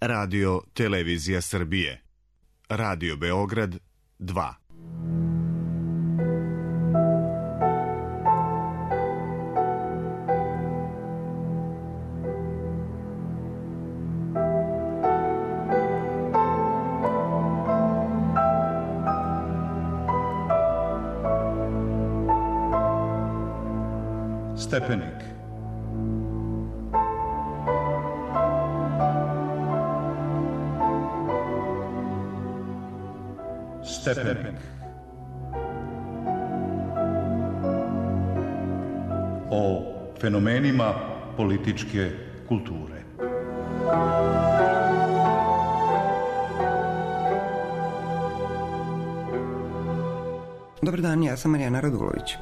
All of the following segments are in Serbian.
Radio Televizija Srbije. Radio Beograd 2. Stepenik. Stepenik. O fenomenima političke kulture. Dobar dan, ja sam Marijana Radulović.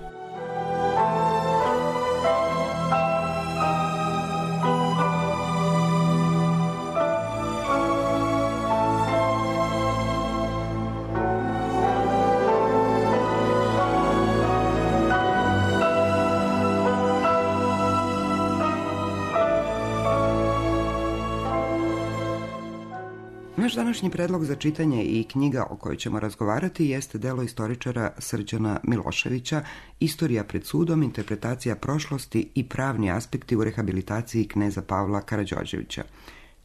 Naš današnji predlog za čitanje i knjiga o kojoj ćemo razgovarati jeste delo istoričara Srđana Miloševića Istorija pred sudom, interpretacija prošlosti i pravni aspekti u rehabilitaciji kneza Pavla Karađorđevića.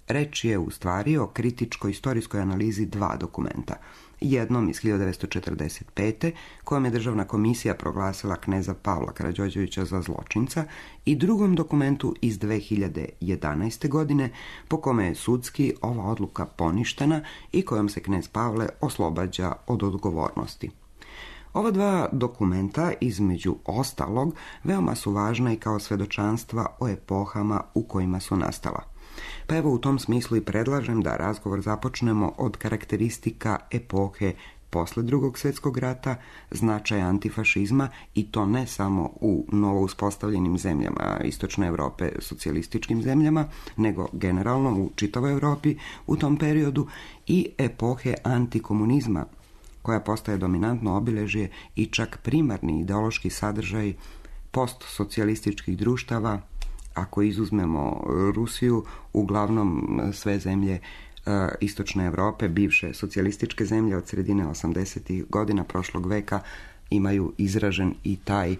Reč je u stvari o kritičko-istorijskoj analizi dva dokumenta. Jednom iz 1945. kojom je Državna komisija proglasila kneza Pavla Karađorđevića za zločinca i drugom dokumentu iz 2011. godine po kome je sudski ova odluka poništena i kojom se knez Pavle oslobađa od odgovornosti. Ova dva dokumenta, između ostalog, veoma su važna i kao svedočanstva o epohama u kojima su nastala. Pa evo u tom smislu i predlažem da razgovor započnemo od karakteristika epohe posle Drugog svjetskog rata, značaja antifašizma i to ne samo u novo uspostavljenim zemljama Istočne Europe, socijalističkim zemljama, nego generalno u čitavoj Europi u tom periodu i epohe antikomunizma, koja postaje dominantno obilježje i čak primarni ideološki sadržaj postsocijalističkih društava. Ako izuzmemo Rusiju, uglavnom sve zemlje Istočne Europe, bivše socijalističke zemlje od sredine 80. godina prošlog veka imaju izražen i taj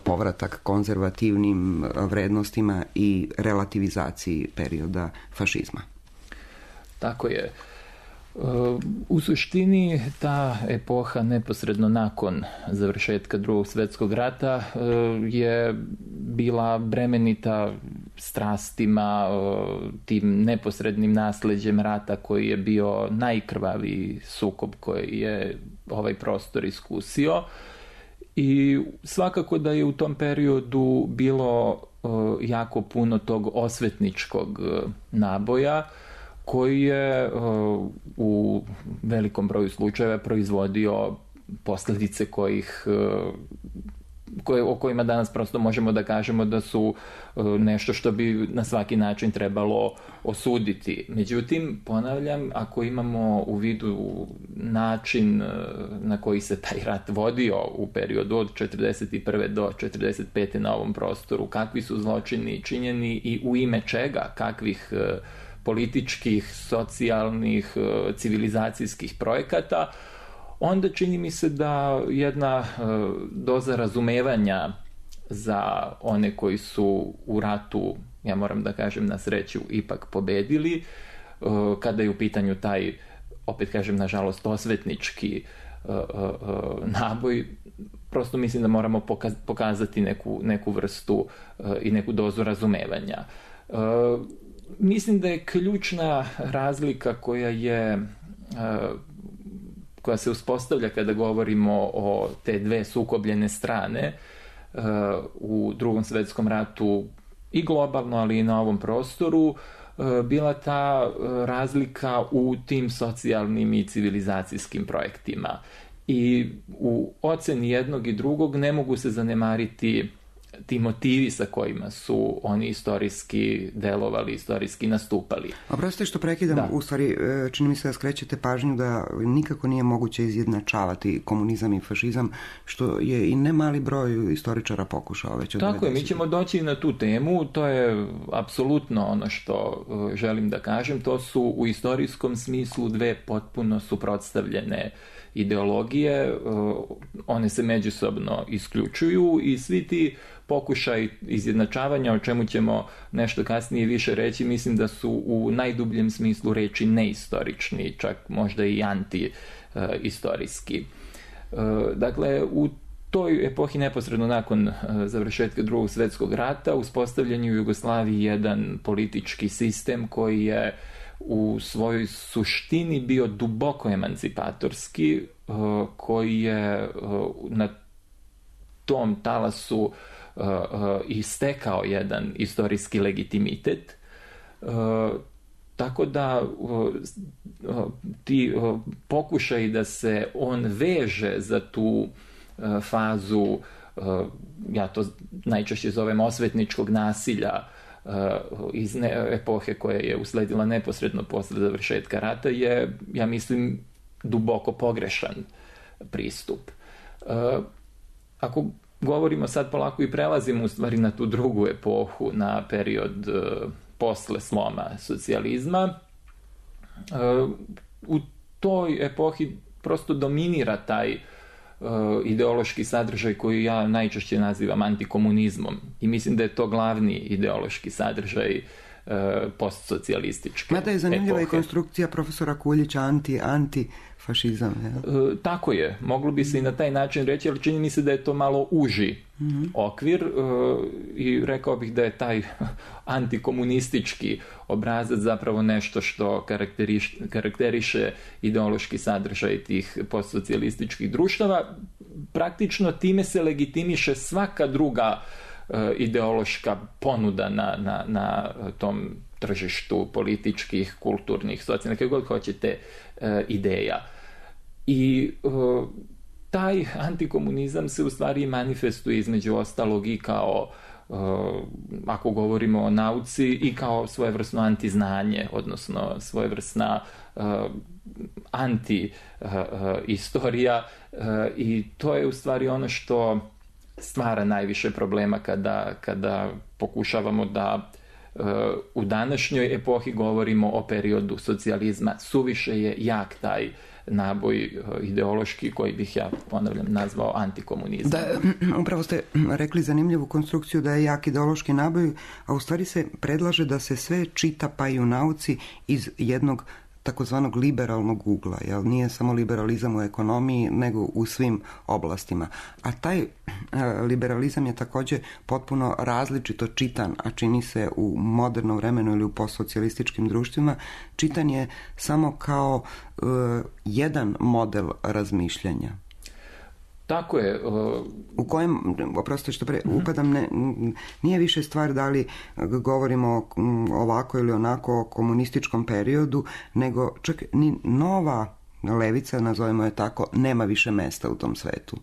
povratak konzervativnim vrednostima i relativizaciji perioda fašizma. Tako je. U suštini ta epoha neposredno nakon završetka Drugog svjetskog rata je bila bremenita strastima, tim neposrednim nasleđem rata koji je bio najkrvaviji sukob koji je ovaj prostor iskusio. I svakako da je u tom periodu bilo jako puno tog osvetničkog naboja koji je u velikom broju slučajeva proizvodio posljedice o kojima danas prosto možemo da kažemo da su nešto što bi na svaki način trebalo osuditi. Međutim, ponavljam, ako imamo u vidu način na koji se taj rat vodio u periodu od 1941. do 1945. na ovom prostoru, kakvi su zločini činjeni i u ime čega, kakvih političkih, socijalnih, civilizacijskih projekata, onda čini mi se da jedna doza razumevanja za one koji su u ratu, ja moram da kažem na sreću, ipak pobedili, kada je u pitanju taj, opet kažem nažalost, osvetnički naboj, prosto mislim da moramo pokazati neku vrstu i neku dozu razumevanja. Mislim da je ključna razlika koja se uspostavlja kada govorimo o te dve sukobljene strane u Drugom svjetskom ratu i globalno, ali i na ovom prostoru, bila ta razlika u tim socijalnim i civilizacijskim projektima. I u oceni jednog i drugog ne mogu se zanemariti ti motivi sa kojima su oni istorijski delovali, istorijski nastupali. Oprostite što prekidam, u stvari čini mi se da skrećete pažnju da nikako nije moguće izjednačavati komunizam i fašizam, što je i ne mali broj istoričara pokušao već od 90. Tako je, mi ćemo doći na tu temu, to je apsolutno ono što želim da kažem, to su u istorijskom smislu dve potpuno suprotstavljene ideologije, one se međusobno isključuju i svi ti pokušaj izjednačavanja, o čemu ćemo nešto kasnije više reći, mislim da su u najdubljem smislu reči neistorični, čak možda i anti-istorijski. Dakle, u toj epohi neposredno nakon završetka Drugog svjetskog rata uspostavljen je u Jugoslaviji jedan politički sistem koji je u svojoj suštini bio duboko emancipatorski, koji je na tom talasu i stekao jedan istorijski legitimitet. Tako da ti pokušaj da se on veže za tu fazu, ja to najčešće zovem osvetničkog nasilja, iz epohe koja je usledila neposredno posle završetka rata, je, ja mislim, duboko pogrešan pristup. Ako govorimo sad polako i prelazimo u stvari na tu drugu epohu, na period posle sloma socijalizma, u toj epohi prosto dominira taj ideološki sadržaj koji ja najčešće nazivam antikomunizmom i mislim da je to glavni ideološki sadržaj postsocijalističke mada je zanimljiva i konstrukcija profesora Kuljića antifašizam. Tako je, moglo bi se i na taj način reći, ali čini mi se da je to malo uži okvir i rekao bih da je taj antikomunistički obrazac zapravo nešto što karakteriše ideološki sadržaj tih postsocijalističkih društava. Praktično time se legitimiše svaka druga ideološka ponuda na tom tržištu političkih, kulturnih, socijalnih, kako god hoćete, ideja. I taj antikomunizam se u stvari manifestuje između ostalog i kao, ako govorimo o nauci, i kao svojevrsno antiznanje, odnosno svojevrsna anti-istorija, i to je u stvari ono što stvara najviše problema kada pokušavamo da u današnjoj epohi govorimo o periodu socijalizma. Suviše je jak taj naboj ideološki koji bih ja, ponavljam, nazvao antikomunizam. Da, upravo ste rekli zanimljivu konstrukciju da je jak ideološki naboj, a u stvari se predlaže da se sve čita, pa i u nauci, iz jednog takozvanog liberalnog ugla, jel? Nije samo liberalizam u ekonomiji, nego u svim oblastima. A taj liberalizam je također potpuno različito čitan, a čini se u modernom vremenu ili u postsocijalističkim društvima, čitan je samo kao jedan model razmišljanja. Tako je. U kojem, oprostite što upadam, nije više stvar da li govorimo ovako ili onako o komunističkom periodu, nego čak ni nova levica, nazovimo je tako, nema više mesta u tom svetu.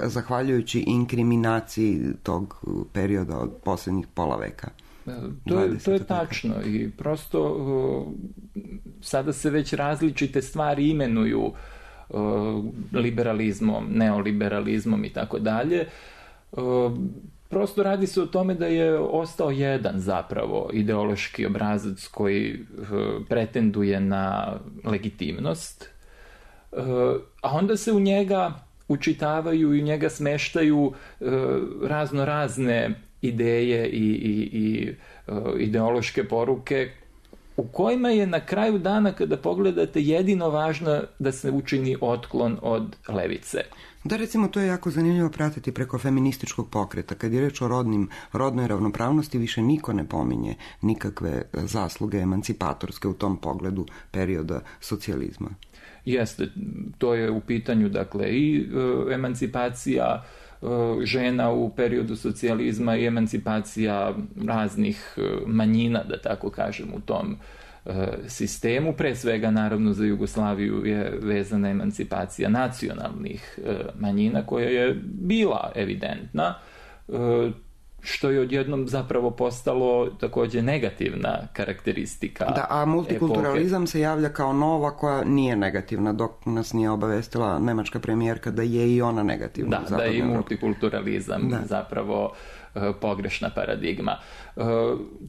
Zahvaljujući inkriminaciji tog perioda od posljednjih pola veka. To je tačno i prosto sada se već različite stvari imenuju liberalizmom, neoliberalizmom i tako dalje. Prosto radi se o tome da je ostao jedan zapravo ideološki obrazac koji pretenduje na legitimnost, a onda se u njega učitavaju i u njega smeštaju razno razne ideje i ideološke poruke u kojima je na kraju dana, kada pogledate, jedino važno da se učini otklon od levice. Da, recimo, to je jako zanimljivo pratiti preko feminističkog pokreta. Kad je reč o rodnoj ravnopravnosti, više niko ne pominje nikakve zasluge emancipatorske u tom pogledu perioda socijalizma. Jeste, to je u pitanju, dakle, i emancipacija žena u periodu socijalizma i emancipacija raznih manjina, da tako kažem, u tom sistemu. Pre svega, naravno, za Jugoslaviju je vezana emancipacija nacionalnih manjina, koja je bila evidentna. što je odjednom zapravo postalo također negativna karakteristika. Da, a multikulturalizam se javlja kao nova koja nije negativna, dok nas nije obavestila nemačka premijerka da je i ona negativna. Da je i multikulturalizam zapravo pogrešna paradigma.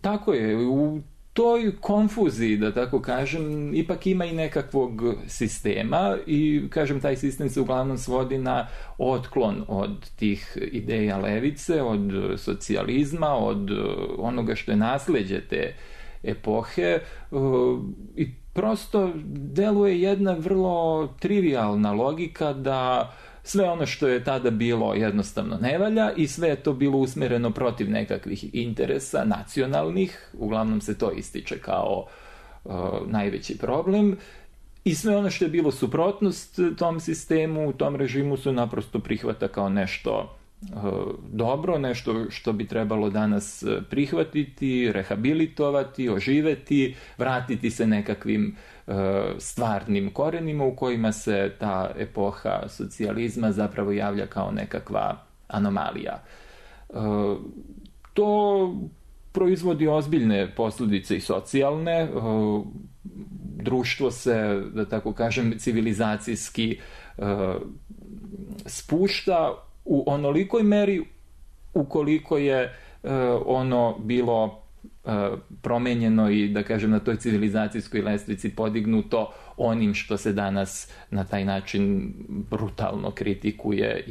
Tako je, u toj konfuziji, da tako kažem, ipak ima i nekakvog sistema i, kažem, taj sistem se uglavnom svodi na otklon od tih ideja levice, od socijalizma, od onoga što je nasleđe te epohe i prosto deluje jedna vrlo trivijalna logika da sve ono što je tada bilo jednostavno ne valja i sve je to bilo usmjereno protiv nekakvih interesa nacionalnih, uglavnom se to ističe kao najveći problem, i sve ono što je bilo suprotnost tom sistemu, tom režimu su naprosto prihvata kao nešto dobro, nešto što bi trebalo danas prihvatiti, rehabilitovati, oživeti, vratiti se nekakvim stvarnim korenima u kojima se ta epoha socijalizma zapravo javlja kao nekakva anomalija. To proizvodi ozbiljne posljedice i socijalne. Društvo se, da tako kažem, civilizacijski spušta u onolikoj meri ukoliko je ono bilo promenjeno i, da kažem, na toj civilizacijskoj lestvici podignuto onim što se danas na taj način brutalno kritikuje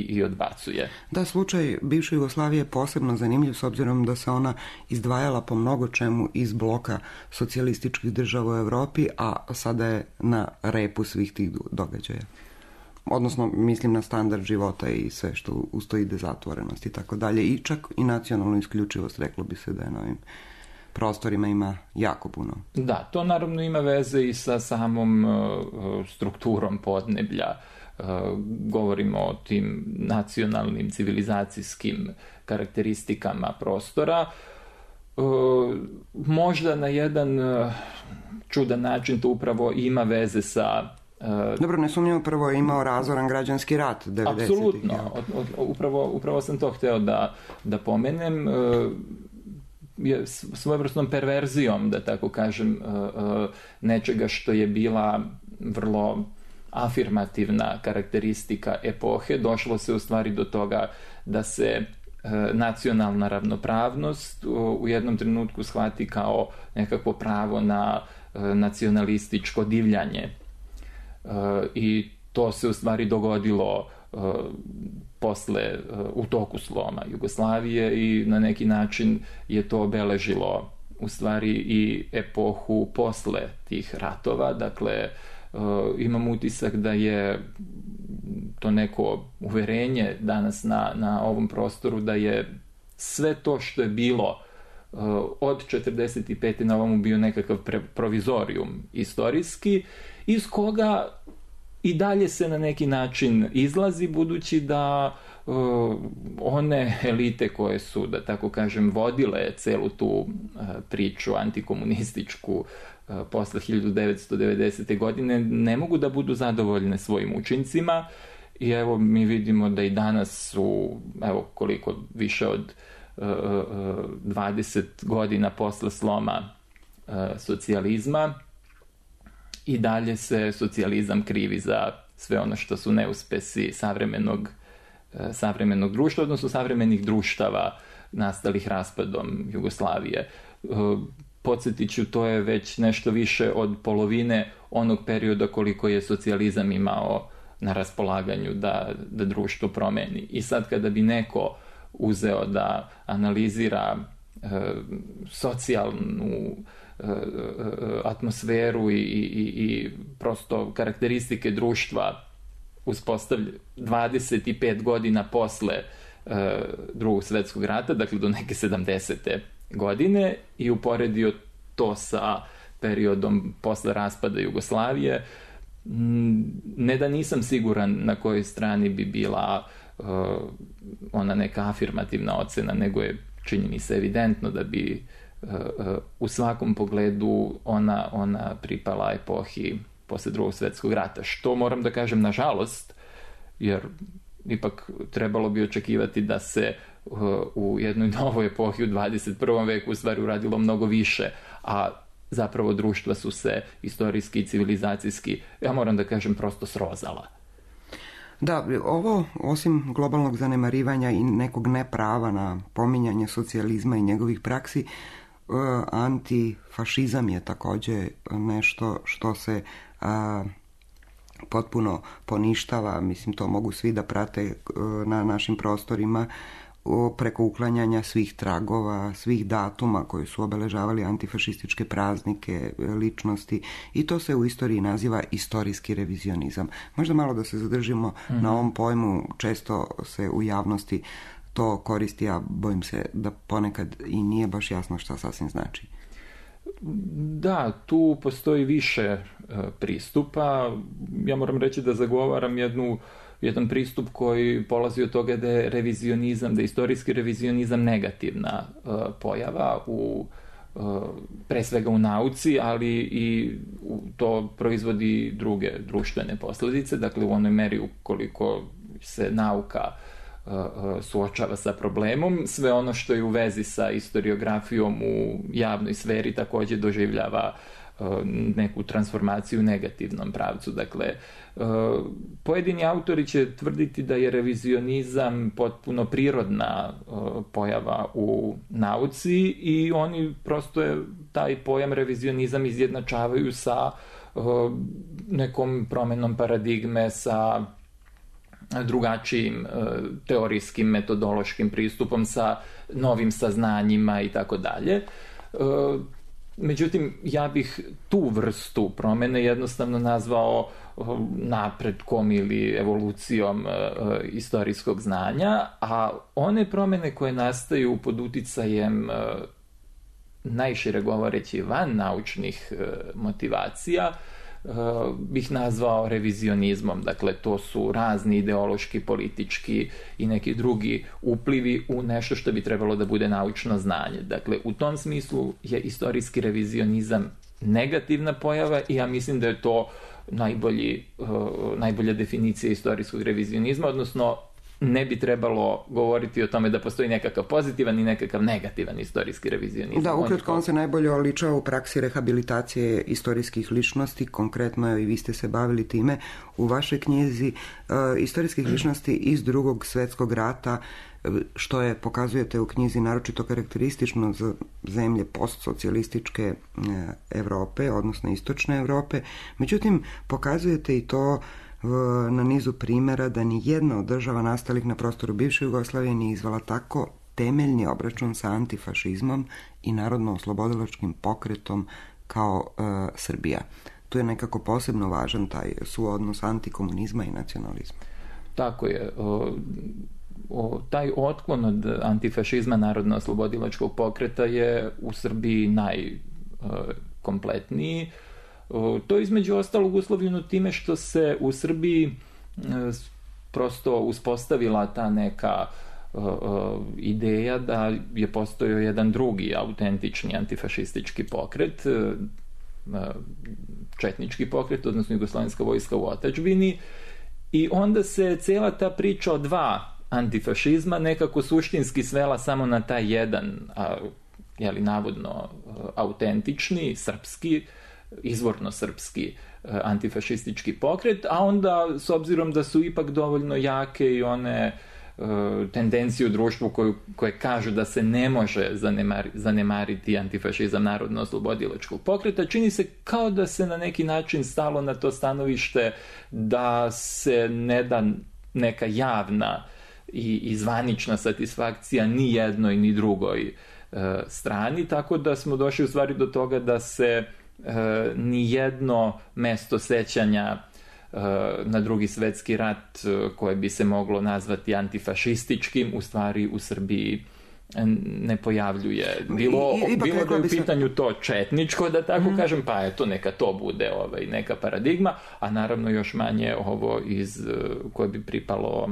i odbacuje. Da, slučaj bivše Jugoslavije je posebno zanimljiv s obzirom da se ona izdvajala po mnogo čemu iz bloka socijalističkih država u Europi, a sada je na repu svih tih događaja. Odnosno, mislim na standard života i sve što uz to ide, zatvorenost i tako dalje. I čak i nacionalnu isključivost, reklo bi se da je na ovim prostorima ima jako puno. Da, to naravno ima veze i sa samom strukturom podneblja. Govorimo o tim nacionalnim civilizacijskim karakteristikama prostora. Možda na jedan čudan način to upravo ima veze sa... Dobro, nesumnjivo, prvo je imao razoran građanski rat 90-ih. Apsolutno, upravo sam to hteo da pomenem, svojevrsnom perverzijom, da tako kažem, nečega što je bila vrlo afirmativna karakteristika epohe, došlo se u stvari do toga da se nacionalna ravnopravnost u jednom trenutku shvati kao nekakvo pravo na nacionalističko divljanje. I to se u stvari dogodilo u toku sloma Jugoslavije i na neki način je to obeležilo u stvari i epohu posle tih ratova. Dakle, imam utisak da je to neko uverenje danas na ovom prostoru da je sve to što je bilo od 45. na ovomu bio nekakav provizorijum istorijski, iz koga i dalje se na neki način izlazi, budući da one elite koje su, da tako kažem, vodile celu tu priču antikomunističku posle 1990. godine ne mogu da budu zadovoljne svojim učincima i evo mi vidimo da i danas su, evo koliko, više od 20 godina posle sloma socijalizma, i dalje se socijalizam krivi za sve ono što su neuspesi savremenog društva, odnosno savremenih društava nastalih raspadom Jugoslavije. Podsjetit ću, to je već nešto više od polovine onog perioda koliko je socijalizam imao na raspolaganju da društvo promeni. I sad kada bi neko uzeo da analizira socijalnu atmosferu i prosto karakteristike društva uspostavlja 25 godina posle Drugog svjetskog rata, dakle do neke 70. godine, i uporedio to sa periodom posle raspada Jugoslavije, ne da nisam siguran na kojoj strani bi bila ona neka afirmativna ocena, nego je, čini mi se, evidentno da bi u svakom pogledu ona pripala epohi posle Drugog svjetskog rata, što moram da kažem nažalost, jer ipak trebalo bi očekivati da se u jednoj novoj epohi u 21. veku u stvari uradilo mnogo više, a zapravo društva su se istorijski i civilizacijski, ja moram da kažem, prosto srozala. Da, ovo, osim globalnog zanemarivanja i nekog neprava na pominjanje socijalizma i njegovih praksi, antifašizam je također nešto što se potpuno poništava. Mislim, to mogu svi da prate na našim prostorima preko uklanjanja svih tragova, svih datuma koji su obeležavali antifašističke praznike, ličnosti, i to se u istoriji naziva istorijski revizionizam. Možda malo da se zadržimo na ovom pojmu, često se u javnosti to koristi, a bojim se da ponekad i nije baš jasno šta sasvim znači. Da, tu postoji više pristupa. Ja moram reći da zagovaram jedan pristup koji polazi od toga da je revizionizam, da je istorijski revizionizam negativna pojava pre svega u nauci, ali i to proizvodi druge društvene posljedice. Dakle, u onoj meri ukoliko se nauka suočava sa problemom, sve ono što je u vezi sa historiografijom u javnoj sferi također doživljava neku transformaciju u negativnom pravcu. Dakle, pojedini autori će tvrditi da je revizionizam potpuno prirodna pojava u nauci i oni prosto taj pojam revizionizam izjednačavaju sa nekom promjenom paradigme, sa drugačijim teorijskim, metodološkim pristupom, sa novim saznanjima i tako dalje. Međutim, ja bih tu vrstu promjene jednostavno nazvao napretkom ili evolucijom istorijskog znanja, a one promjene koje nastaju pod uticajem najšire govoreći van naučnih motivacija bih nazvao revizionizmom. Dakle, to su razni ideološki, politički i neki drugi uplivi u nešto što bi trebalo da bude naučno znanje. Dakle, u tom smislu je istorijski revizionizam negativna pojava i ja mislim da je to najbolja definicija istorijskog revizionizma, odnosno ne bi trebalo govoriti o tome da postoji nekakav pozitivan i nekakav negativan istorijski revizionizam. Da, ukratko on se najbolje oličava u praksi rehabilitacije istorijskih ličnosti, konkretno i vi ste se bavili time u vašoj knjizi, istorijskih ličnosti iz Drugog svjetskog rata, što je, pokazujete u knjizi, naročito karakteristično za zemlje postsocijalističke Europe, odnosno istočne Europe. Međutim, pokazujete i to na nizu primjera da ni jedna od država nastalih na prostoru bivše Jugoslavije nije izvala tako temeljni obračun sa antifašizmom i narodno-oslobodilačkim pokretom kao Srbija. Tu je nekako posebno važan taj suodnos antikomunizma i nacionalizma. Tako je. Taj otklon od antifašizma narodno-oslobodilačkog pokreta je u Srbiji najkompletniji. To između ostalog uslovljeno time što se u Srbiji prosto uspostavila ta neka ideja da je postojao jedan drugi autentični antifašistički pokret, četnički pokret, odnosno Jugoslovenska vojska u otadžbini, i onda se cijela ta priča o dva antifašizma nekako suštinski svela samo na taj jedan, navodno autentični, srpski, izvorno srpski antifašistički pokret, a onda s obzirom da su ipak dovoljno jake i one tendencije u društvu koje kažu da se ne može zanemariti antifašizam narodno-oslobodilačkog pokreta, čini se kao da se na neki način stalo na to stanovište da se ne da neka javna i zvanična satisfakcija ni jednoj ni drugoj strani, tako da smo došli u stvari do toga da se ni jedno mesto sećanja na Drugi svjetski rat koje bi se moglo nazvati antifašističkim u stvari u Srbiji ne pojavljuje. Bilo da je u pitanju to četničko, da tako kažem, pa eto neka to bude neka paradigma, a naravno još manje ovo koje bi pripalo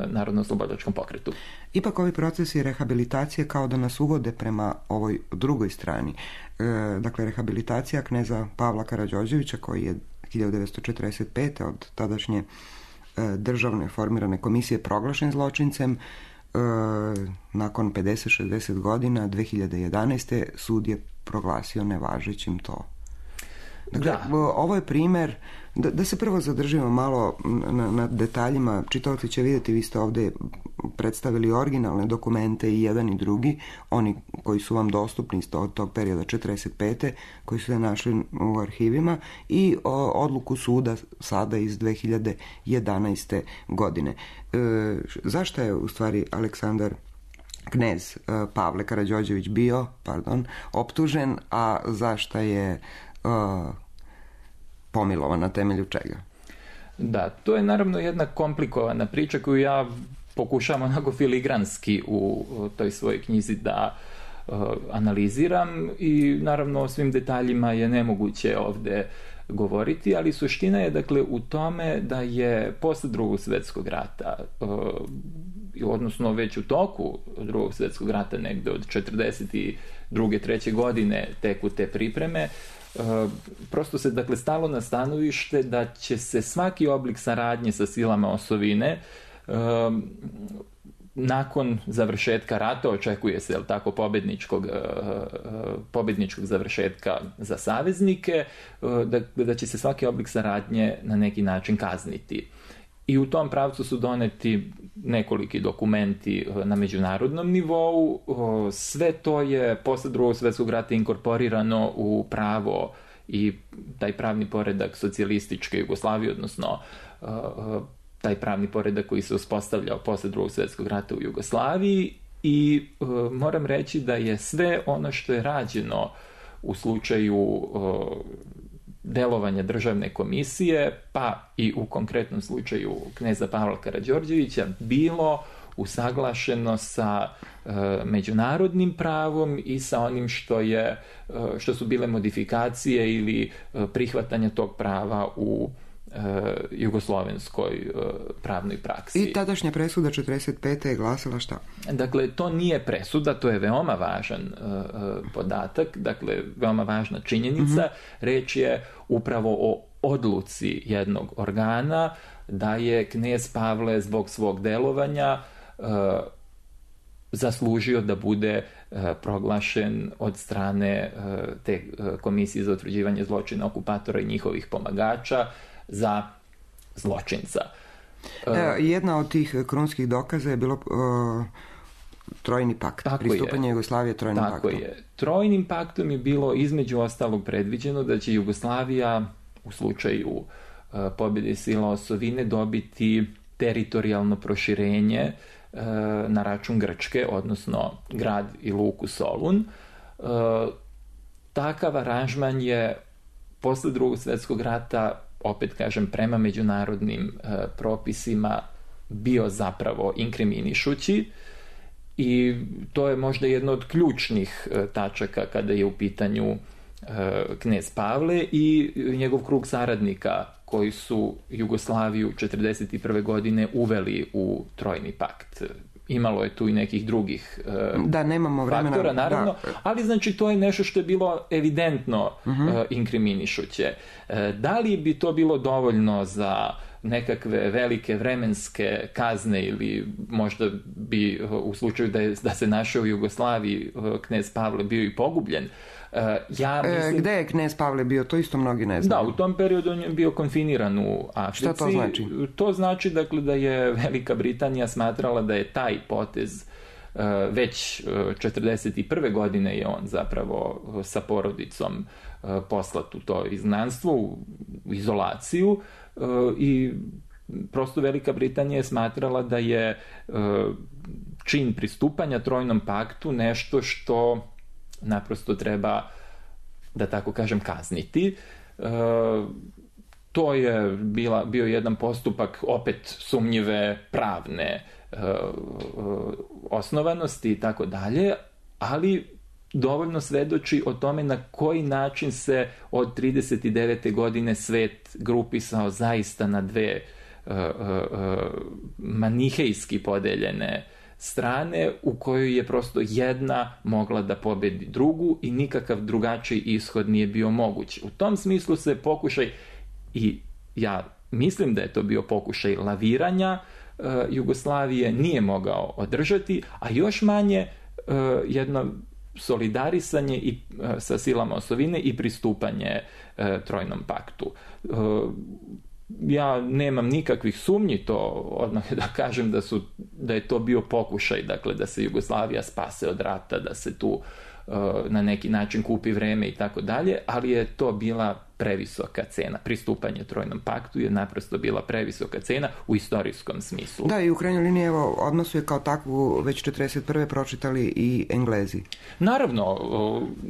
narodno-oslobodilačkom pokretu. Ipak ovi procesi rehabilitacije kao da nas uvode prema ovoj drugoj strani. Dakle, rehabilitacija kneza Pavla Karađorđevića, koji je 1945. od tadašnje državne formirane komisije proglašen zločincem, nakon 50-60 godina 2011. sud je proglasio nevažećim to. Dakle, ovo je primjer, da se prvo zadržimo malo na detaljima. Čitaoci će vidjeti, vi ste ovdje predstavili originalne dokumente i jedan i drugi, oni koji su vam dostupni iz tog perioda 45. koji su se našli u arhivima, i odluku suda sada iz 2011. godine. Zašto je u stvari Aleksandar knez Pavle Karađorđević bio optužen, a zašto je pomilovan, na temelju čega? Da, to je naravno jedna komplikovana priča koju ja pokušavam onako filigranski u toj svojoj knjizi da analiziram, i naravno o svim detaljima je nemoguće ovdje govoriti, ali suština je dakle u tome da je posle Drugog svjetskog rata, odnosno već u toku Drugog svjetskog rata, negdje od 42. 3. godine teku te pripreme, prosto se dakle stalo na stanovište da će se svaki oblik saradnje sa silama osovine nakon završetka rata, očekuje se pobjedničkog završetka za saveznike, da će se svaki oblik saradnje na neki način kazniti. I u tom pravcu su doneti nekoliki dokumenti na međunarodnom nivou. Sve to je posle Drugog svjetskog rata inkorporirano u pravo i taj pravni poredak socijalističke Jugoslavije, odnosno taj pravni poredak koji se uspostavljao posle Drugog svjetskog rata u Jugoslaviji, i moram reći da je sve ono što je rađeno u slučaju delovanja državne komisije, pa i u konkretnom slučaju kneza Pavla Karađorđevića, bilo usaglašeno sa međunarodnim pravom i sa onim što su bile modifikacije ili prihvatanja tog prava u jugoslovenskoj pravnoj praksi. I tadašnja presuda 45. je glasila šta? Dakle, to nije presuda, to je veoma važan podatak, dakle, veoma važna činjenica. Reč je upravo o odluci jednog organa da je knez Pavle zbog svog delovanja zaslužio da bude proglašen od strane te komisije za utvrđivanje zločina okupatora i njihovih pomagača za zločinca. Jedna od tih krunskih dokaza je bilo Trojni pakt, pristupanje Jugoslavije Trojnom paktu. Tako je. Trojnim paktom je bilo između ostalog predviđeno da će Jugoslavija u slučaju pobjede sila osovine dobiti teritorijalno proširenje na račun Grčke, odnosno grad i luku Solun. Takav aranžman je posle Drugog svjetskog rata, opet kažem, prema međunarodnim propisima bio zapravo inkriminišući, i to je možda jedno od ključnih tačaka kada je u pitanju knez Pavle i njegov krug saradnika koji su Jugoslaviju 1941. godine uveli u Trojni pakt. Imalo je tu i nekih drugih nemamo vremena, faktora, naravno, ali znači to je nešto što je bilo evidentno inkriminišuće. Da li bi to bilo dovoljno za nekakve velike vremenske kazne, ili možda bi u slučaju da se našao u Jugoslaviji knez Pavle bio i pogubljen? Ja mislim... Gde je knez Pavle bio? To isto mnogi ne znaju. Da, u tom periodu on je bio konfiniran u Africi. Šta to znači? To znači dakle, da je Velika Britanija smatrala da je taj potez već 1941. godine je on zapravo sa porodicom poslat u to izgnanstvo, u izolaciju, i prosto Velika Britanija je smatrala da je čin pristupanja Trojnom paktu nešto što naprosto treba, da tako kažem, kazniti. To je bio jedan postupak opet sumnjive pravne osnovanosti i tako dalje, ali dovoljno svedoči o tome na koji način se od 39. godine svet grupisao zaista na dve manihejski podeljene strane, u kojoj je prosto jedna mogla da pobedi drugu i nikakav drugačiji ishod nije bio moguć. U tom smislu se pokušaj, i ja mislim da je to bio pokušaj laviranja, Jugoslavije nije mogao održati, a još manje jedno solidarisanje i sa silama osovine i pristupanje Trojnom paktu. Ja nemam nikakvih sumnji, to odmah da kažem da je to bio pokušaj, dakle da se Jugoslavija spase od rata, da se tu na neki način kupi vreme i tako dalje, ali je to bila previsoka cena. Pristupanje Trojnom paktu je naprosto bila previsoka cena u istorijskom smislu. Da, i u krajnjoj liniji, evo, odmah su je kao takvu već 1941. pročitali i Englezi. Naravno,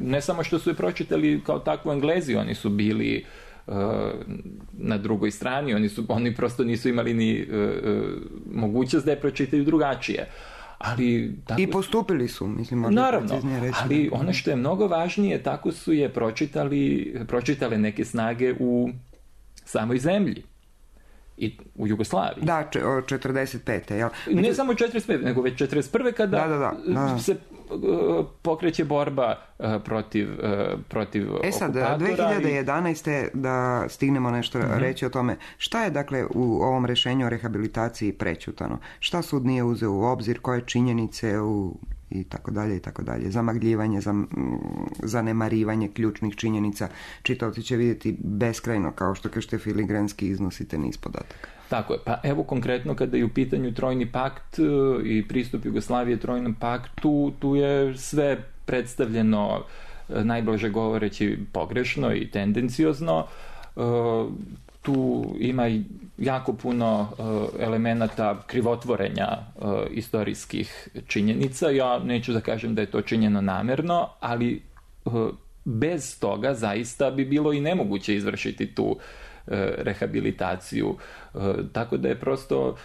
ne samo što su je pročitali kao takvu Englezi, oni su bili na drugoj strani, oni prosto nisu imali ni mogućnost da je pročitaju drugačije. Ali, tako, i postupili su, mislim, možda preciznije reći. Ali ono što je mnogo važnije, tako su je pročitale neke snage u samoj zemlji i u Jugoslaviji. Da, 45. Jel? Ne samo 45. nego već 41. kada se pokreće borba protiv sad, okupatora. 2011. da stignemo nešto reći o tome. Šta je, dakle, u ovom rješenju o rehabilitaciji prećutano? Šta sud nije uzeo u obzir? Koje činjenice i tako dalje, zamagljivanje, zanemarivanje ključnih činjenica. Čitavci će vidjeti beskrajno, kao što kažete filigranski iznosite niz podataka. Tako je, pa evo konkretno kada je u pitanju Trojni pakt i pristup Jugoslavije Trojnom paktu, tu je sve predstavljeno, najblaže govoreći, pogrešno i tendenciozno. Tu ima jako puno elemenata krivotvorenja istorijskih činjenica. Ja neću da kažem da je to činjeno namerno, ali bez toga zaista bi bilo i nemoguće izvršiti tu rehabilitaciju. Tako da je prosto...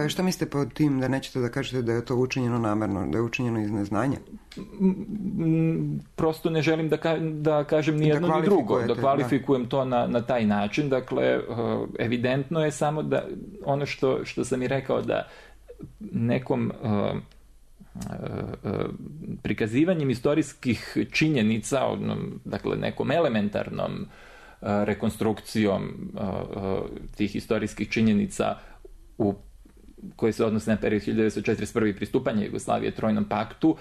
Šta mislite pod tim, da nećete da kažete da je to učinjeno namerno, da je učinjeno iz neznanja? Prosto ne želim da kažem ni jedno ni drugo, da kvalifikujem to na taj način. Dakle, evidentno je samo da ono što sam i rekao, da nekom prikazivanjem istorijskih činjenica, dakle nekom elementarnom rekonstrukcijom tih istorijskih činjenica koje se odnose na period 1941. pristupanje Jugoslavije Trojnom paktu,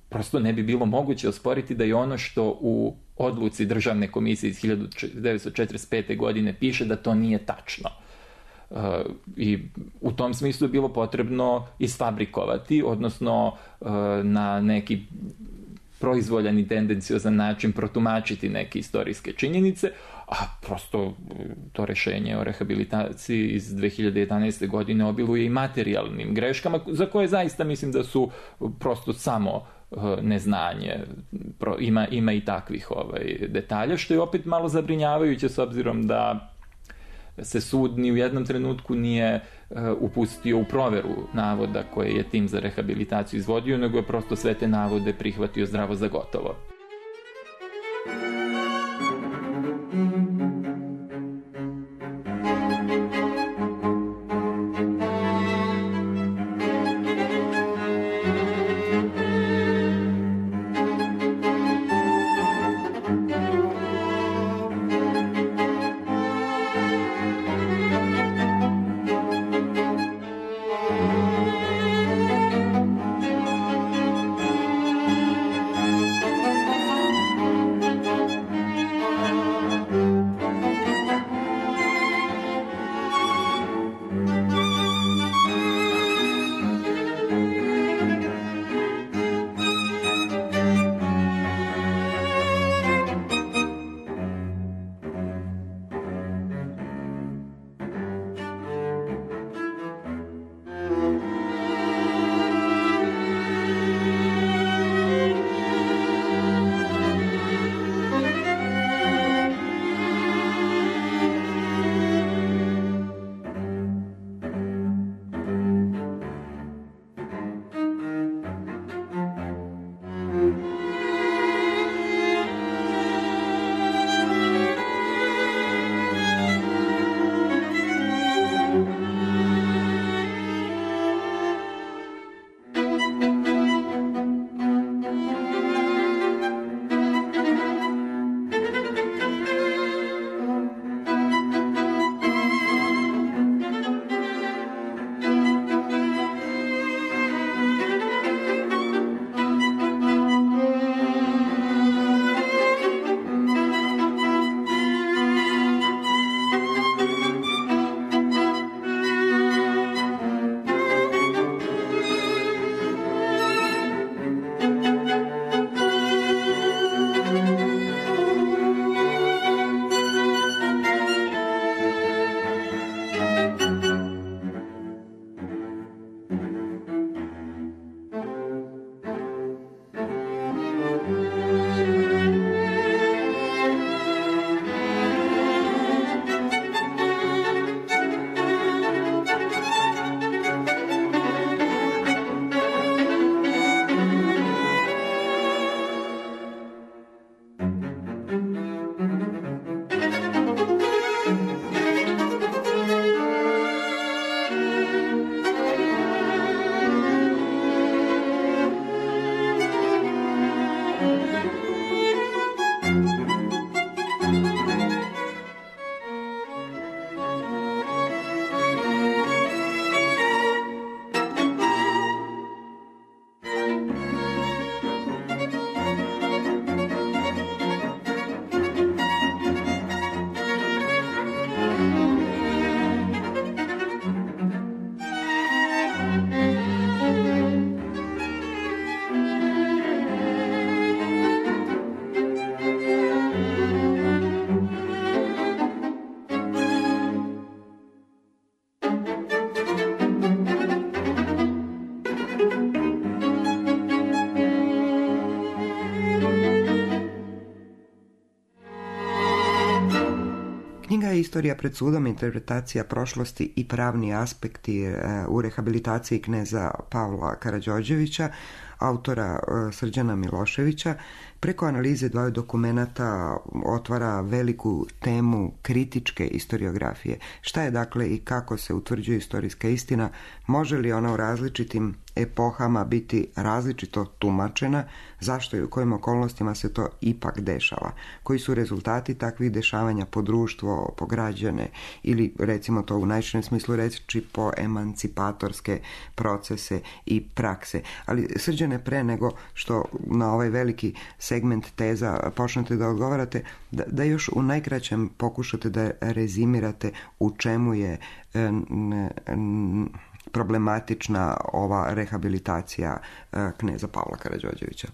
prosto ne bi bilo moguće osporiti da je ono što u odluci Državne komisije iz 1945. godine piše da to nije tačno. I u tom smislu je bilo potrebno isfabrikovati, odnosno na neki proizvoljan i tendenciozan način protumačiti neke istorijske činjenice, a prosto to rješenje o rehabilitaciji iz 2011. godine obiluje i materijalnim greškama, za koje zaista mislim da su prosto samo neznanje. Ima i takvih detalja, što je opet malo zabrinjavajuće s obzirom da se sud ni u jednom trenutku nije upustio u proveru navoda koje je tim za rehabilitaciju izvodio, nego je prosto sve te navode prihvatio zdravo za gotovo. Knjiga je Istorija pred sudom, interpretacija prošlosti i pravni aspekti u rehabilitaciji kneza Pavla Karađorđevića, autora Srđana Miloševića. Preko analize dvaju dokumenata otvara veliku temu kritičke historiografije. Šta je dakle i kako se utvrđuje istorijska istina? Može li ona u različitim epohama biti različito tumačena? Zašto i u kojim okolnostima se to ipak dešava? Koji su rezultati takvih dešavanja po društvo, po građane ili recimo to u najširem smislu reći po emancipatorske procese i prakse? Ali Srđane, pre nego što na ovaj veliki segment teza počnete da odgovarate, da još u najkraćem pokušate da rezimirate u čemu je problematična ova rehabilitacija kneza Pavla Karađorđevića.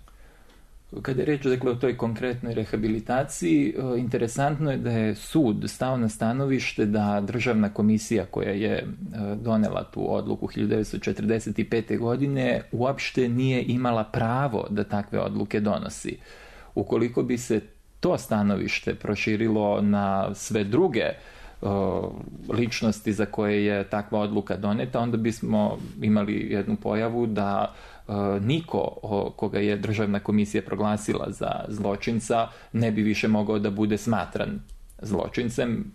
Kada je reč dakle, o toj konkretnoj rehabilitaciji, interesantno je da je sud stao na stanovište da državna komisija koja je donela tu odluku 1945. godine uopšte nije imala pravo da takve odluke donosi. Ukoliko bi se to stanovište proširilo na sve druge ličnosti za koje je takva odluka doneta, onda bismo imali jednu pojavu da niko koga je državna komisija proglasila za zločinca ne bi više mogao da bude smatran zločincem.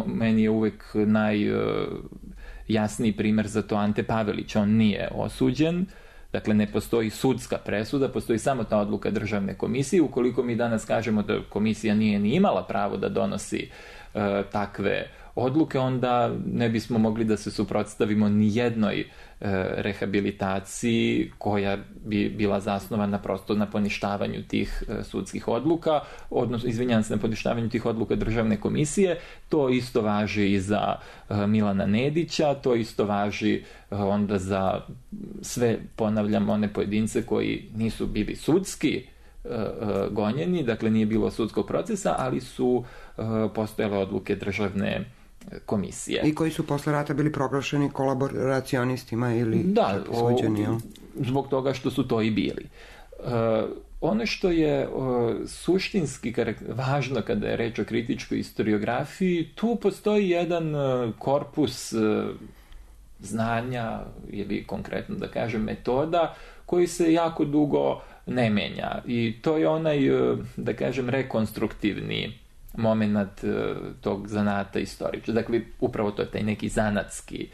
Meni je uvek najjasniji primer za to Ante Pavelić. On nije osuđen, dakle ne postoji sudska presuda, postoji samo ta odluka državne komisije. Ukoliko mi danas kažemo da komisija nije ni imala pravo da donosi takve odluke, onda ne bismo mogli da se suprotstavimo ni jednoj rehabilitaciji koja bi bila zasnovana prosto na poništavanju tih sudskih odluka, odnosno, izvinjavam se, na poništavanju tih odluka državne komisije. To isto važi i za Milana Nedića, to isto važi onda za sve, ponavljam, one pojedince koji nisu bili sudski gonjeni, dakle nije bilo sudskog procesa, ali su postojale odluke državne komisije. I koji su posle rata bili proglašeni kolaboracionistima ili suđeni? Zbog toga što su to i bili. Ono što je suštinski važno kada je reč o kritičkoj historiografiji, tu postoji jedan korpus znanja ili konkretno da kažem metoda koji se jako dugo ne menja. I to je onaj, da kažem, rekonstruktivni moment tog zanata istoriča. Dakle, upravo to je taj neki zanatski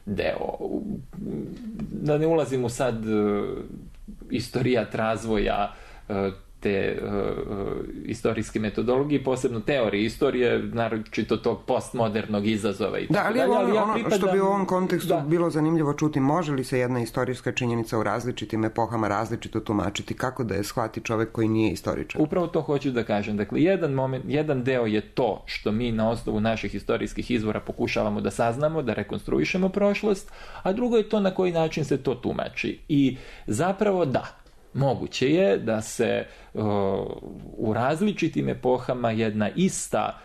deo. Da ne ulazim u sad istorijat razvoja te istorijske metodologije, posebno teorije istorije, naročito tog postmodernog izazova i tako dalje. Ali ono što bi u ovom kontekstu bilo zanimljivo čuti, može li se jedna istorijska činjenica u različitim epohama različito tumačiti, kako da je shvati čovek koji nije istoričar? Upravo to hoću da kažem. Dakle, jedan deo je to što mi na osnovu naših istorijskih izvora pokušavamo da saznamo, da rekonstruišemo prošlost, a drugo je to na koji način se to tumači. I zapravo moguće je da se u različitim epohama jedna ista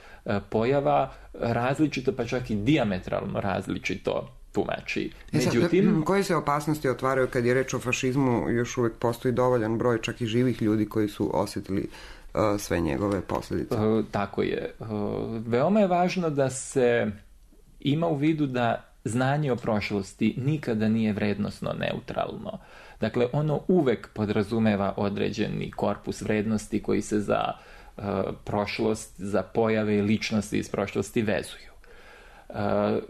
pojava različito, pa čak i dijametralno različito tumači. Međutim, koje se opasnosti otvaraju kad je reč o fašizmu? Još uvek postoji dovoljan broj čak i živih ljudi koji su osjetili sve njegove posljedice. Tako je. Veoma je važno da se ima u vidu da znanje o prošlosti nikada nije vrednosno neutralno. Dakle, ono uvek podrazumeva određeni korpus vrednosti koji se za prošlost, za pojave i ličnosti iz prošlosti vezuju.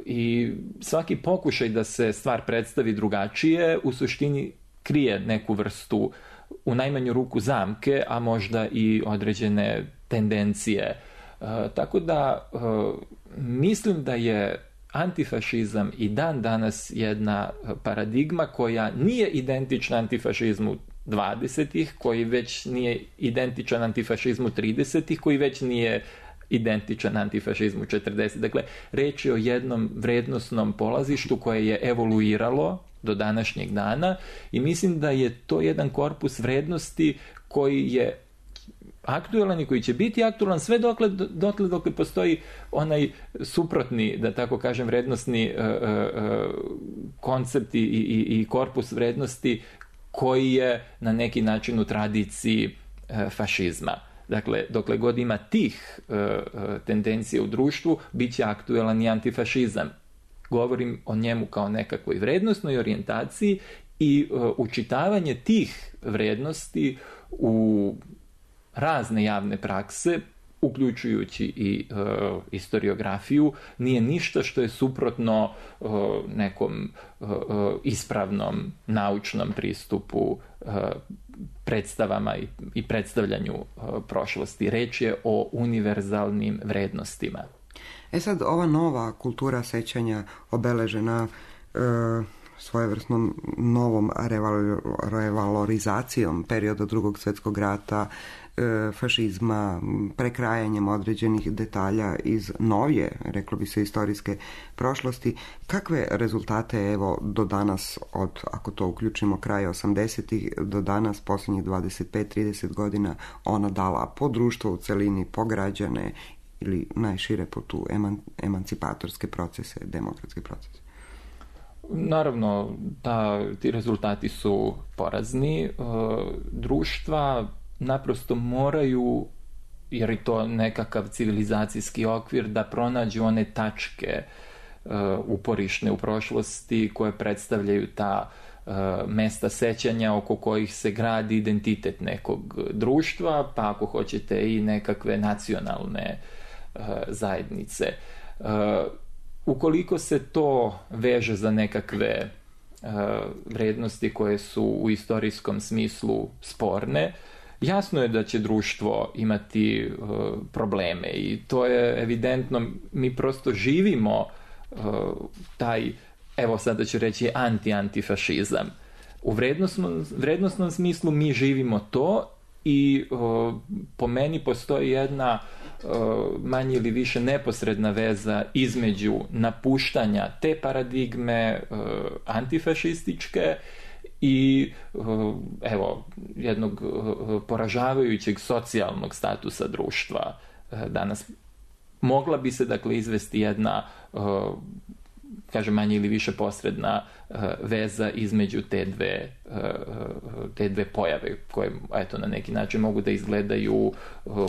I svaki pokušaj da se stvar predstavi drugačije u suštini krije neku vrstu, u najmanju ruku, zamke, a možda i određene tendencije. Tako da mislim da je antifašizam i dan danas jedna paradigma koja nije identična antifašizmu 20-ih, koji već nije identičan antifašizmu 30-ih, koji već nije identičan antifašizmu 40-ih. Dakle, reč je o jednom vrednosnom polazištu koje je evoluiralo do današnjeg dana i mislim da je to jedan korpus vrednosti koji je aktualan i koji će biti aktualan sve dokle postoji onaj suprotni, da tako kažem, vrednosni koncept i korpus vrednosti koji je na neki način u tradiciji fašizma. Dakle, dokle god ima tih tendencija u društvu, bit će aktuelan i antifašizam. Govorim o njemu kao nekakvoj vrednostnoj orijentaciji i učitavanje tih vrednosti u razne javne prakse, uključujući i historiografiju, nije ništa što je suprotno nekom ispravnom naučnom pristupu predstavama i predstavljanju prošlosti. Reč je o univerzalnim vrednostima. Sad, ova nova kultura sećanja obeležena svojevrsnom novom revalorizacijom perioda Drugog svjetskog rata, fašizma, prekrajanjem određenih detalja iz novije, reklo bi se, istorijske prošlosti. Kakve rezultate evo do danas, ako to uključimo kraj 80-ih, do danas, posljednjih 25-30 godina, ona dala po društvo u celini, po građane ili najšire po tu emancipatorske procese, demokratske procese? Naravno, ti rezultati su porazni. Društva naprosto moraju, jer je to nekakav civilizacijski okvir, da pronađu one tačke uporišne u prošlosti koje predstavljaju ta mesta sećanja oko kojih se gradi identitet nekog društva, pa ako hoćete i nekakve nacionalne zajednice. Ukoliko se to veže za nekakve vrednosti koje su u istorijskom smislu sporne, jasno je da će društvo imati probleme i to je evidentno. Mi prosto živimo taj, evo sada ću reći, antifašizam. U vrednostnom smislu mi živimo to i po meni postoji jedna manje ili više neposredna veza između napuštanja te paradigme antifašističke i evo jednog poražavajućeg socijalnog statusa društva danas. Mogla bi se dakle izvesti jedna kažem manje ili više posredna veza između te dve pojave koje eto na neki način mogu da izgledaju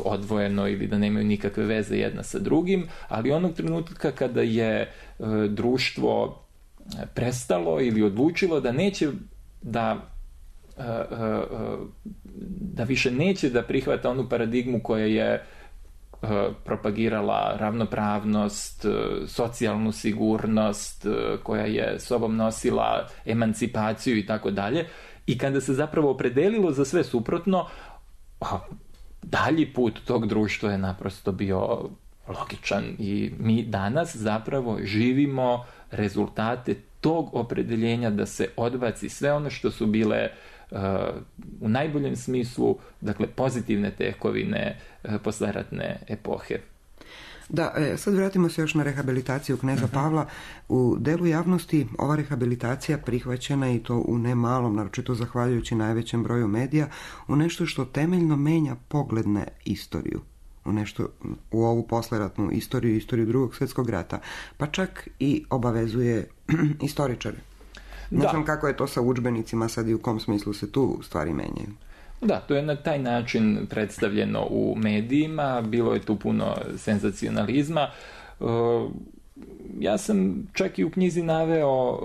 odvojeno ili da nemaju nikakve veze jedna sa drugim, ali onog trenutka kada je društvo prestalo ili odlučilo da neće da više neće da prihvata onu paradigmu koja je propagirala ravnopravnost, socijalnu sigurnost, koja je sobom nosila emancipaciju i tako dalje. I kada se zapravo opredelilo za sve suprotno, dalji put tog društva je naprosto bio logičan i mi danas zapravo živimo rezultate tog opredeljenja da se odbaci sve ono što su bile u najboljem smislu, dakle, pozitivne tekovine posleratne epohe. Da, sad vratimo se još na rehabilitaciju kneza Pavla. U delu javnosti ova rehabilitacija prihvaćena, i to u nemalom, naročito zahvaljujući najvećem broju medija, u nešto što temeljno menja pogled na istoriju. U ovu posleratnu istoriju Drugog svjetskog rata, pa čak i obavezuje istoričare. Ne znam kako je to sa udžbenicima sad i u kom smislu se tu stvari menjaju. Da, to je na taj način predstavljeno u medijima, bilo je tu puno senzacionalizma. Ja sam čak i u knjizi naveo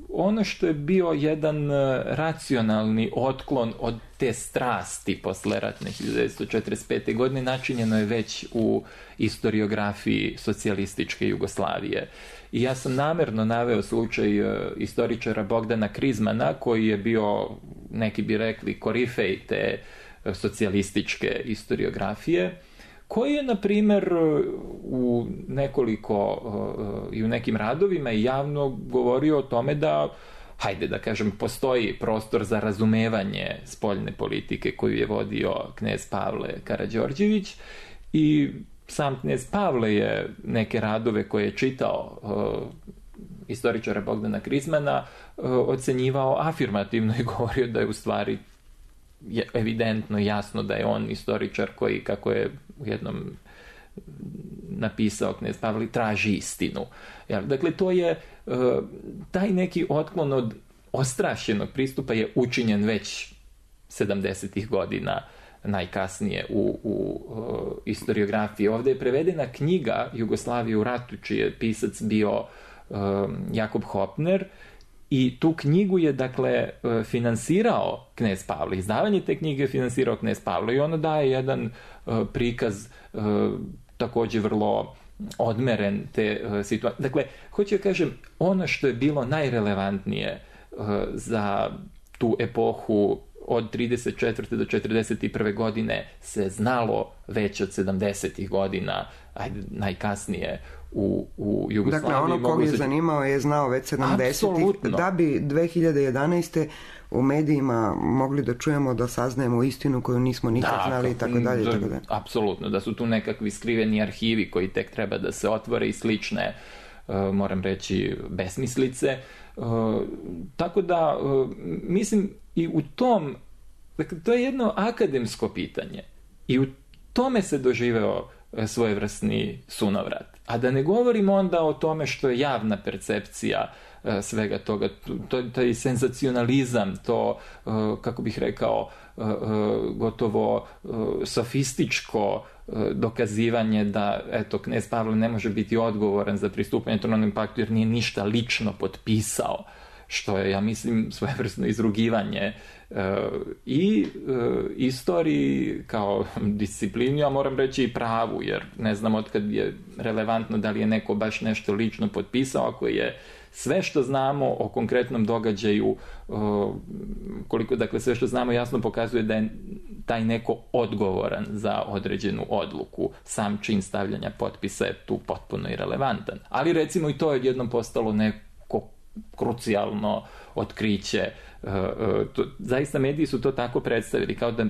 ono što je bio jedan racionalni otklon od te strasti posleratne 1945. godine, načinjeno je već u historiografiji socijalističke Jugoslavije. I ja sam namjerno naveo slučaj istoričara Bogdana Krizmana, koji je bio, neki bi rekli, korifej te socijalističke historiografije, koji je, na primjer, u nekim radovima i javno govorio o tome da, hajde da kažem, postoji prostor za razumevanje spoljne politike koju je vodio knez Pavle Karađorđević, i sam knez Pavle je neke radove koje je čitao istoričara Bogdana Krizmana ocenjivao afirmativno i govorio da je u stvari evidentno jasno da je on istoričar koji, kako je u jednom napisao knez Pavle, traži istinu. Dakle, to je taj neki otklon od ostrašćenog pristupa je učinjen već 70-ih godina najkasnije u istoriografiji. Ovdje je prevedena knjiga Jugoslavije u ratu, čiji je pisac bio Jakob Hopner, i tu knjigu je, dakle, finansirao knez Pavle. Izdavanje te knjige je finansirao knez Pavle i ono daje jedan prikaz također vrlo odmeren te situacije. Dakle, hoću da kažem, ono što je bilo najrelevantnije za tu epohu od 34. do 41. godine se znalo već od 70. godina, najkasnije u Jugoslaviji. Dakle, ono kog je zanimao je znao već 70. Da bi 2011. u medijima mogli da čujemo, da saznajemo istinu koju nismo nikad znali i tako dalje. Apsolutno, da su tu nekakvi skriveni arhivi koji tek treba da se otvore i slične, moram reći, besmislice. Tako da, mislim, i u tom, dakle, to je jedno akademsko pitanje i u tome se doživeo svojevrsni sunovrat. A da ne govorimo onda o tome što je javna percepcija svega toga, to je senzacionalizam, to, kako bih rekao, gotovo sofističko dokazivanje da, eto, knez Pavle ne može biti odgovoran za pristupanje Trojnom paktu jer nije ništa lično potpisao, što je, ja mislim, svojevrsno izrugivanje i istoriji kao disciplini, a moram reći i pravu, jer ne znam otkad je relevantno da li je neko baš nešto lično potpisao, ako je sve što znamo o konkretnom događaju, koliko, dakle, sve što znamo jasno pokazuje da je taj neko odgovoran za određenu odluku. Sam čin stavljanja potpisa je tu potpuno irelevantan. Ali recimo i to je jednom postalo neko krucijalno otkriće. Zaista mediji su to tako predstavili, kao da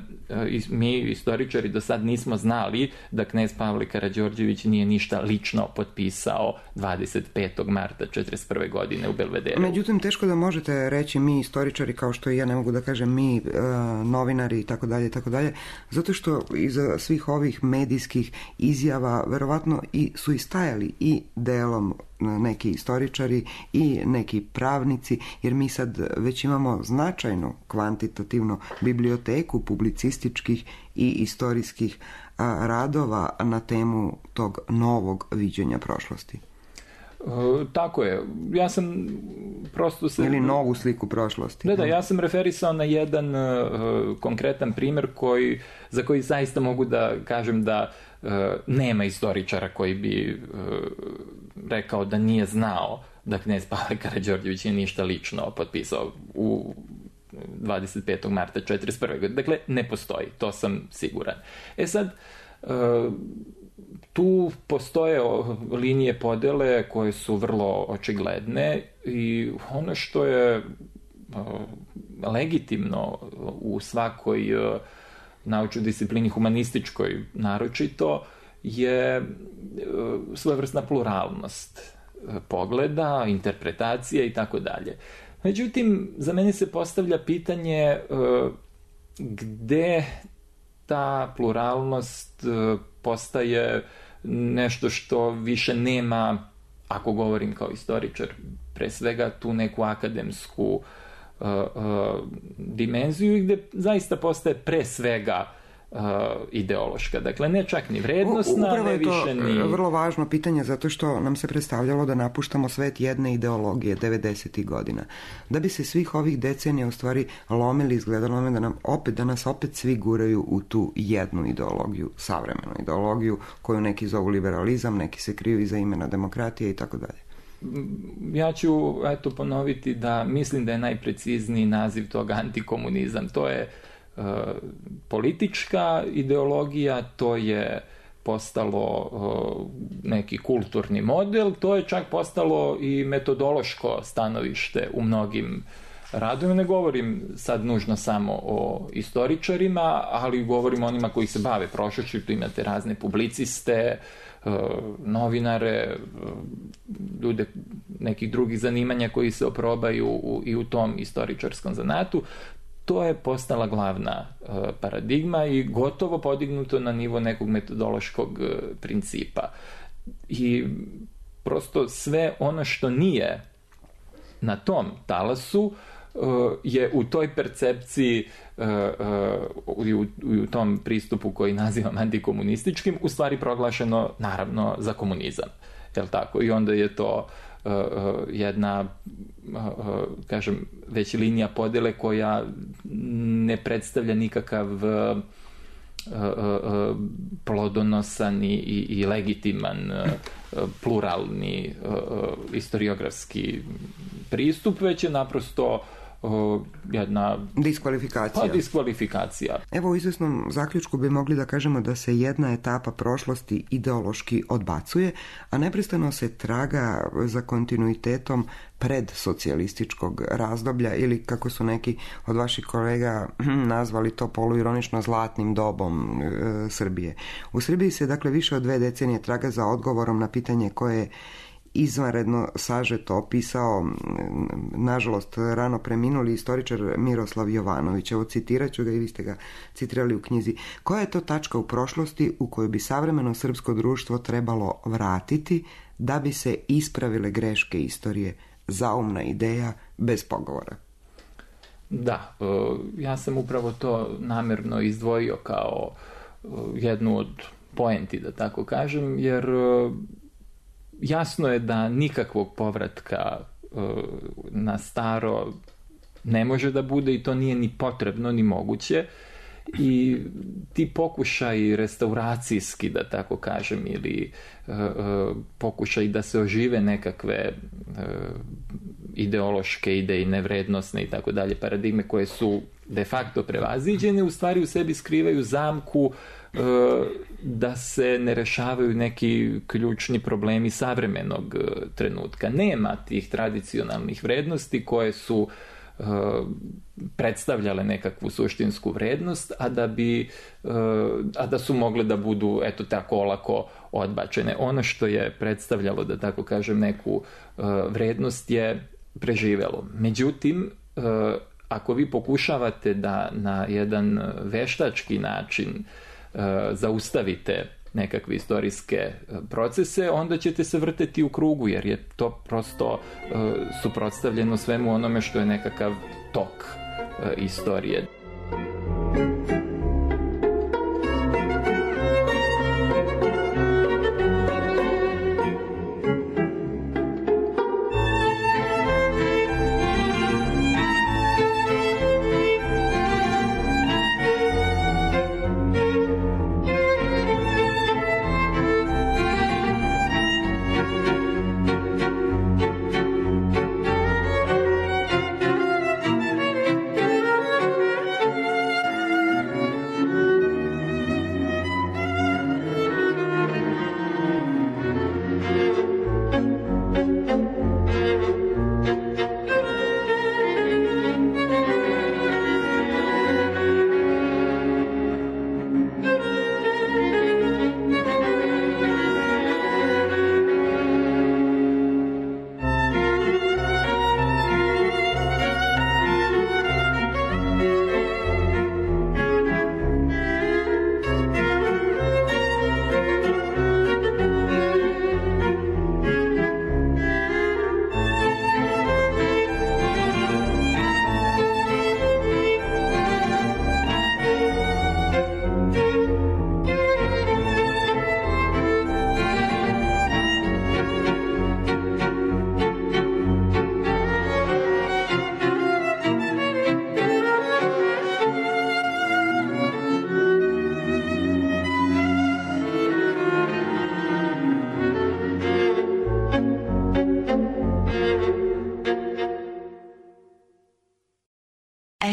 mi istoričari do sad nismo znali da knez Pavle Karađorđević nije ništa lično potpisao 25. marta 1941. godine u Belvederu. Međutim, teško da možete reći mi istoričari, kao što i ja ne mogu da kažem mi novinari i tako dalje, zato što iza svih ovih medijskih izjava verovatno su i stajali i delom neki istoričari i neki pravnici, jer mi sad već imamo značajnu kvantitativnu biblioteku publicističkih i istorijskih radova na temu tog novog viđenja prošlosti. Tako je. Ja sam prosto se... Ili novu sliku prošlosti. Da, ja sam referisao na jedan konkretan primjer za koji zaista mogu da kažem da nema istoričara koji bi rekao da nije znao da knez Pavle Karađorđević je ništa lično potpisao u 25. marta 1941. godine. Dakle, ne postoji, to sam siguran. Sad, tu postoje linije podele koje su vrlo očigledne i ono što je legitimno u svakoj naučnoj disciplini, humanističkoj naročito, je svojevrsna pluralnost pogleda, interpretacije i tako dalje. Međutim, za mene se postavlja pitanje gde ta pluralnost postaje nešto što više nema, ako govorim kao istoričar, pre svega tu neku akademsku dimenziju i gde zaista postaje pre svega ideološka. Dakle, ne čak ni vrednosna, ne više ni... Upravo je to vrlo važno pitanje, zato što nam se predstavljalo da napuštamo svet jedne ideologije 90. godina. Da bi se svih ovih decenija u stvari lomili, izgledalo nam da nas opet svi guraju u tu jednu ideologiju, savremenu ideologiju, koju neki zovu liberalizam, neki se kriju iza imena demokratije i tako dalje. Ja ću ponoviti da mislim da je najprecizniji naziv toga antikomunizam. To je politička ideologija, to je postalo neki kulturni model, to je čak postalo i metodološko stanovište u mnogim radovima. Ne govorim sad nužno samo o istoričarima, ali govorim o onima koji se bave prošlošću. Tu imate razne publiciste, novinare, ljude nekih drugih zanimanja koji se oprobaju i u tom istoričarskom zanatu. To je postala glavna paradigma i gotovo podignuto na nivo nekog metodološkog principa. I prosto sve ono što nije na tom talasu je u toj percepciji i u tom pristupu koji nazivam antikomunističkim u stvari proglašeno naravno za komunizam. Jel tako? I onda je to jedna, kažem, već linija podjele koja ne predstavlja nikakav plodonosan i legitiman pluralni historiografski pristup, već je naprosto jedna diskvalifikacija. Evo, u izvjesnom zaključku bi mogli da kažemo da se jedna etapa prošlosti ideološki odbacuje, a neprestano se traga za kontinuitetom predsocijalističkog razdoblja ili, kako su neki od vaših kolega nazvali to poluironično, zlatnim dobom Srbije. U Srbiji se dakle više od 2 decenije traga za odgovorom na pitanje koje je izvanredno sažeto opisao, nažalost, rano preminuli istoričar Miroslav Jovanović. Evo, citirat ću ga i vi ste ga citirali u knjizi. Koja je to tačka u prošlosti u kojoj bi savremeno srpsko društvo trebalo vratiti da bi se ispravile greške istorije? Zaumna ideja bez pogovora. Da, ja sam upravo to namjerno izdvojio kao jednu od poenti, da tako kažem, jer jasno je da nikakvog povratka na staro ne može da bude i to nije ni potrebno ni moguće. I ti pokušaji restauracijski, da tako kažem, ili pokušaj da se ožive nekakve ideološke, idejne, vrednosne i tako dalje paradigme koje su de facto prevaziđene, u stvari u sebi skrivaju zamku da se ne rešavaju neki ključni problemi savremenog trenutka. Nema tih tradicionalnih vrednosti koje su predstavljale nekakvu suštinsku vrednost, a da su mogle da budu eto tako olako odbačene. Ono što je predstavljalo, da tako kažem, neku vrednost je preživelo. Međutim, ako vi pokušavate da na jedan veštački način zaustavite nekakve istorijske procese, onda ćete se vrteti u krugu, jer je to prosto suprotstavljeno svemu onome što je nekakav tok istorije.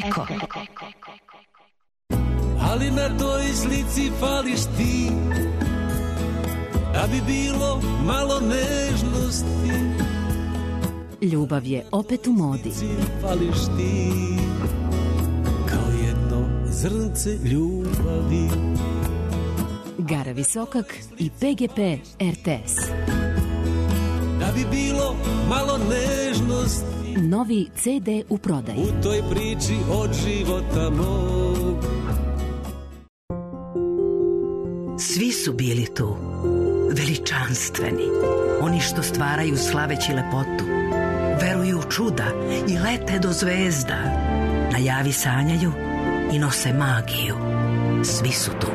Eko. Ali na toj slici fališ ti, da bi bilo malo nežnosti. Ljubav je opet u modi. Fališ ti, kao jedno zrnce ljubavi. Gara Visokak i PGP RTS. Da bi bilo malo nežnosti. Novi CD u prodaji. U toj priči od života mog. Svi su bili tu, veličanstveni, oni što stvaraju slaveći lepotu, Veruju u čuda i lete do zvezda. Najavi sanjaju i nose magiju. Svi su tu.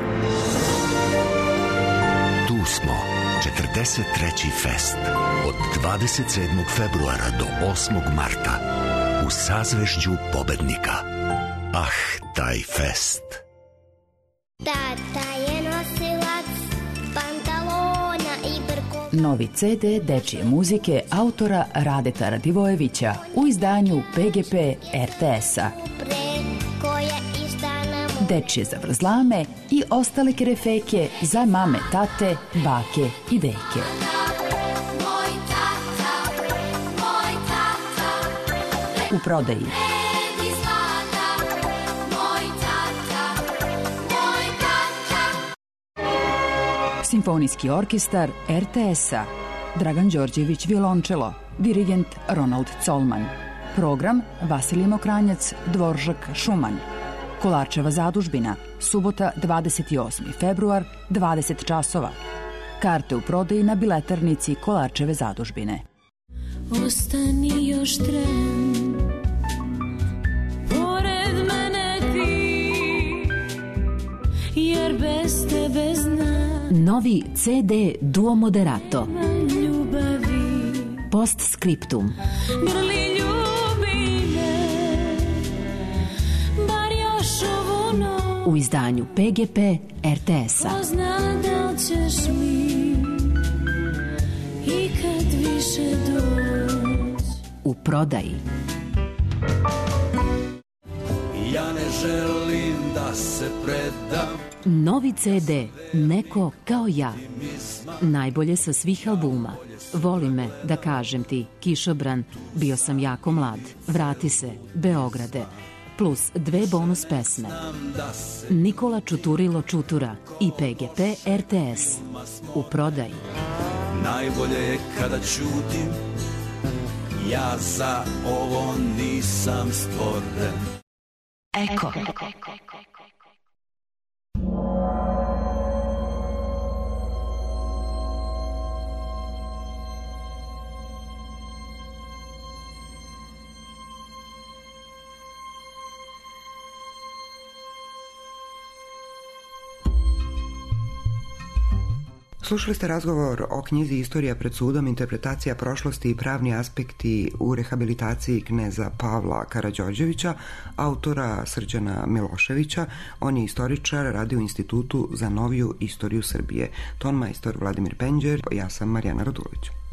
Tu smo, 43. fest. Od 27. februara do 8. marta. U sazvežđu pobednika. Ah, taj fest. Tata je nosilac pantalona i brko. Novi CD dečije muzike autora Radeta Radivojevića u izdanju PGP RTS-a. Dečije zavrzlame i ostale kerefeke za mame, tate, bake i deke. U prodaji. Simfonijski orkestar RTS-a. Dragan Đorđević violončelo, dirigent Ronald Colman. Program Vasilij Mokranjac, Dvoržak Šuman. Kolarčeva zadužbina, subota 28. februar, 20 časova. Karte u prodaji na biletarnici Kolarčeve zadužbine. Ostani još tren, pored mene ti, jer bez tebe znam. Novi CD Duo Moderato. Ljubavi. Postscriptum. Grli ljubi me, bar još ovu noć. U izdanju PGP RTS-a. Ko zna da li ćeš mi i kad više doć. U prodaji. Ja ne želim da se predam. Novi CD Neko kao ja. Najbolje sa svih albuma. Voli me, da kažem ti, Kišobran, Bio sam jako mlad, Vrati se, Beograde, plus 2 bonus pesme. Nikola Čuturilo Čutura i PGP RTS. U prodaji. Najbolje je kada ćutim, ja za ovo nisam stvoren. Eko. Slušali ste razgovor o knjizi Istorija pred sudom, interpretacija prošlosti i pravni aspekti u rehabilitaciji kneza Pavla Karađorđevića, autora Srđana Miloševića. On je istoričar, radi u Institutu za noviju istoriju Srbije. Tonmajstor Vladimir Penđer, ja sam Marijana Radulović.